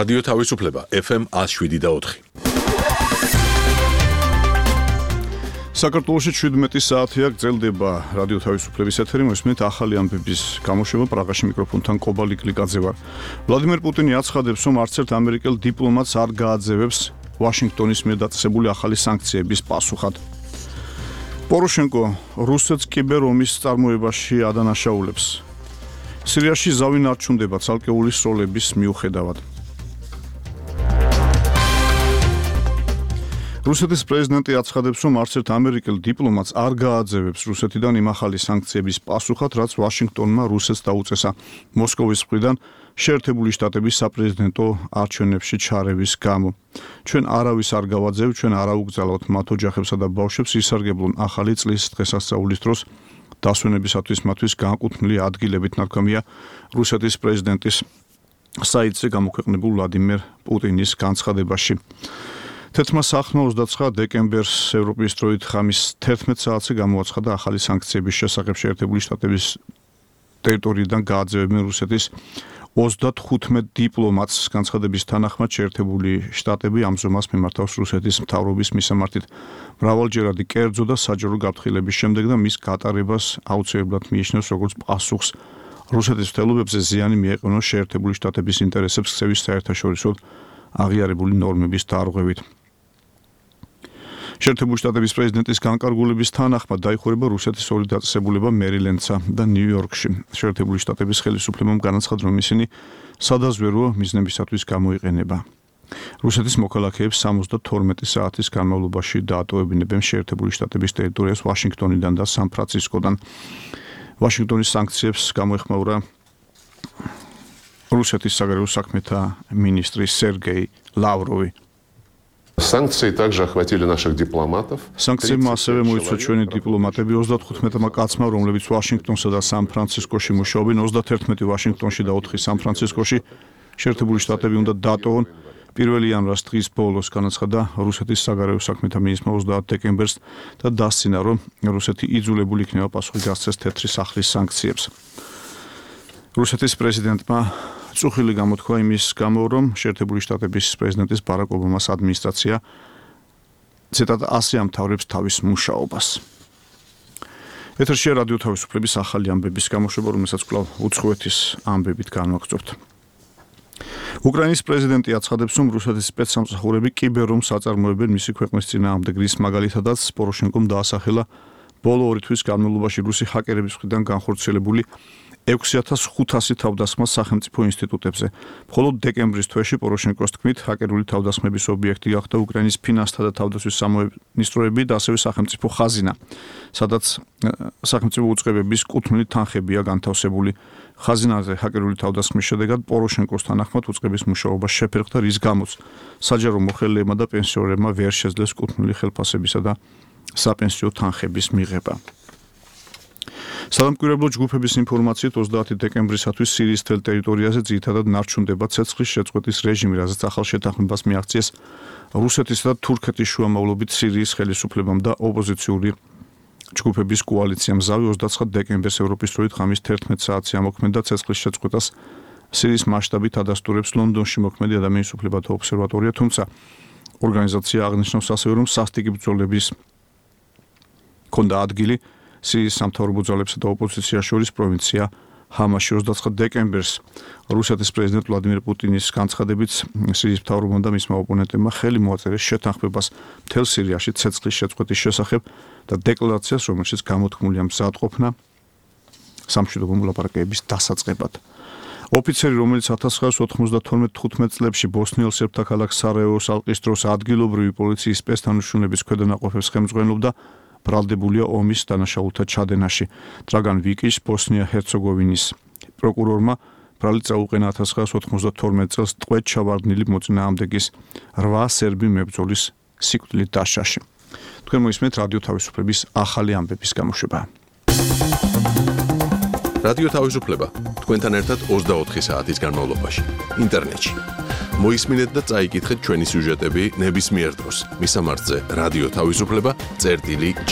რადიო თავისუფლება FM 107.4. საქართველოში 17 საათია გრძელდება რადიო თავისუფლების ეთერი, მოსმენთ ახალი ამბების გამოშვება. პრაღაში მიკროფონთან კობალი კლიკაძე ვარ. ვლადიმერ პუტინი აცხადებს, რომ არც ერთ ამერიკელ დიპლომატს არ გააძევებს ვაშინგტონის მიერ დაწესებული ახალი სანქციების პასუხად. პოროშენკო რუსეთს კიბერომის წარმოებაში ადანაშაულებს. სირიაში ზავი ნარჩუნდება ცალკეული სროლების მიუხედავად. რუსეთის პრეზიდენტი აცხადებს, რომ არც ერთ ამერიკელ დიპლომატს არ გააძევებს რუსეთიდან იმ ახალი სანქციების პასუხად, რაც ვაშინგტონმა რუსეთს დაუწესა მოსკოვის მხრიდან შეერთებული შტატების საპრეზიდენტო არჩევნებში ჩარევის გამო. ჩვენ არავის არ გავაძევთ, ჩვენ არ აუგზავნოთ მათ ოჯახებსა და ბავშვებს ისარგებლონ ახალი წლის დღესასწაულის დროს დასვენებისათვის მათთვის განკუთვნილი ადგილებით, ნათქვამია რუსეთის პრეზიდენტის საიტზე გამოქვეყნებულ ვლადიმერ პუტინის განცხადებაში. თეთრმა სახმა 29 დეკემბერს ევროპის დროით ხამის 11 საათზე გამოაცხადა ახალი სანქციების შესახებ შეერთებული შტატების ტერიტორიიდან გააძევებენ რუსეთის 35 დიპლომატს. განცხადების თანახმად შეერთებული შტატები ამ ზომას მიმართავს რუსეთის მთავრობის მისამართით მრავალჯერადი კერძო და საჯარო გაფრთხილების შემდეგ და მის გატარებას აუცილებლად მიიჩნევს როგორც პასუხს რუსეთის მცდელობებზე ზიანი მიეყენოს შეერთებული შტატების ინტერესებს ქცევის საერთაშორისო აღიარებული ნორმების დარღვევით. შეერთებული შტატების პრეზიდენტის განკარგულების თანახმად დაიხურება რუსეთის ორი დაწესებულება მერილენდსა და ნიუ-იორკში. შეერთებული შტატების ხელისუფლებამ განაცხადა, რომ ისინი სადაზვერვო მიზნებისათვის გამოიყენება. რუსეთის მოქალაქეებს 72 საათის განმავლობაში დაატოვებინებენ შეერთებული შტატების ტერიტორიას ვაშინგტონიდან და სან-ფრანცისკოდან. ვაშინგტონის სანქციებს გამოეხმაურა რუსეთის საგარეო საქმეთა მინისტრი სერგეი ლავროვი. Санкции также охватили наших дипломатов. Санкციებმა ასევე მოიცვა ჩვენი დიპლომატები 35 კაცმა, რომლებიც ვაშინგტონსა და სან-ფრანცისკოში მუშაობენ, 31 ვაშინგტონში და 4 სან-ფრანცისკოში. შეერთებული შტატები უნდა დატოვონ 1 იანვრის დღის ბოლოს, განაცხადა რუსეთის საგარეო საქმეთა მინისტრმა 30 დეკემბერს და დასცინა, რომ რუსეთი იძულებული იქნება პასუხი გასცეს თეთრი სახლის სანქციებს. რუსეთის პრეზიდენტმა წუხილი გამოთქვა იმის გამო, რომ შეერთებული შტატების პრეზიდენტის ბარაკ ობამას ადმინისტრაცია ციტატა ასე ამთავრებს თავის მუშაობას. ეთერშია რადიო თავისუფლების ახალი ამბების გამოშვება, რომელსაც კვლავ უცხოეთის ამბებით განვაგრძობთ. უკრაინის პრეზიდენტი აცხადებს, რომ რუსეთის სპეცსამსახურები კიბერომს აწარმოებენ მისი ქვეყნის წინააღმდეგ, რის მაგალითადაც პოროშენკომ დაასახელა ბოლო 2 თვის განმავლობაში რუსი ჰაკერების მხრიდან განხორციელებული 6500 თავდასხმა სახელმწიფო ინსტიტუტებზე. მხოლოდ დეკემბრის თვეში პოროშენკოს თქმით, ჰაკერული თავდასხმების ობიექტი გახდა უკრაინის ფინანსთა და თავდაცვის სამინისტროები და ასევე სახელმწიფო ხაზინა, სადაც სახელმწიფო უწყებების კუთვნილი თანხებია განთავსებული. ხაზინაზე ჰაკერული თავდასხმის შედეგად პოროშენკოს თანახმად უწყების მუშაობა შეფერხდა, რის გამოც საჯარო მოხელეებმა და პენსიონერებმა ვერ შეძლეს კუთვნილი ხელფასებისა და საპენსიო თანხების მიღება. სადამკვირვებლო ჯგუფების ინფორმაციით 30 დეკემბრისათვის სირიის მთელ ტერიტორიაზე ძირითადად ნარჩუნდება ცეცხლის შეწყვეტის რეჟიმი, რაზეც ახალ შეთანხმებას მიაღწიეს რუსეთისა და თურქეთის შუამავლობით სირიის ხელისუფლებამ და ოპოზიციური ჯგუფების კოალიციამ. ზავი 29 დეკემბერს ევროპის დროით ხამის 11 საათზე ამოქმედა ცეცხლის შეწყვეტას სირიის მასშტაბით ადასტურებს ლონდონში მოქმედი ადამიანის უფლებათა ობსერვატორია, თუმცა ორგანიზაცია აღნიშნავს ასევე, რომ სასტიკი ბრძოლების ქონდა ადგილი სირიის სამთავრობო ძალებსა და ოპოზიციას შორის პროვინცია ჰამაში. 29 დეკემბერს რუსეთის პრეზიდენტ ვლადიმერ პუტინის განცხადებით სირიის მთავრობამ და მისმა ოპონენტებმა ხელი მოაწერეს შეთანხმებას მთელ სირიაში ცეცხლის შეწყვეტის შესახებ და დეკლარაციას, რომელშიც გამოთქმულია მზადყოფნა სამშვიდობო მოლაპარაკებების დასაწყებად. ოფიცერი, რომელიც 1992-15 წლებში ბოსნიელ სერბთა ქალაქ სარაევოს ალყის დროს ადგილობრივი პოლიციის სპეცთანუშრომლების ქვედანაყოფებს ხელმძღვანელობდა, ბრალდებულია ომის დანაშაულთა ჩადენაში. დრაგან ვიკის ბოსნია-ჰერცეგოვინის პროკურორმა ბრალი წაუყენა 1992 წელს ტყვედ ჩავარდნილი მოწინააღმდეგის 8 სერბი მებრძოლის სიკვდილით დასჯაში. თქვენ მოისმენთ რადიო თავისუფლების ახალი ამბების გამოშვება. რადიო თავისუფლება თქვენთან ერთად 24 საათის განმავლობაში ინტერნეტში. მოისმინეთ და წაიკითხეთ ჩვენი სიუჟეტები ნებისმიერ დროს. მისამართზე რადიო თავისუფლება წერტილი G.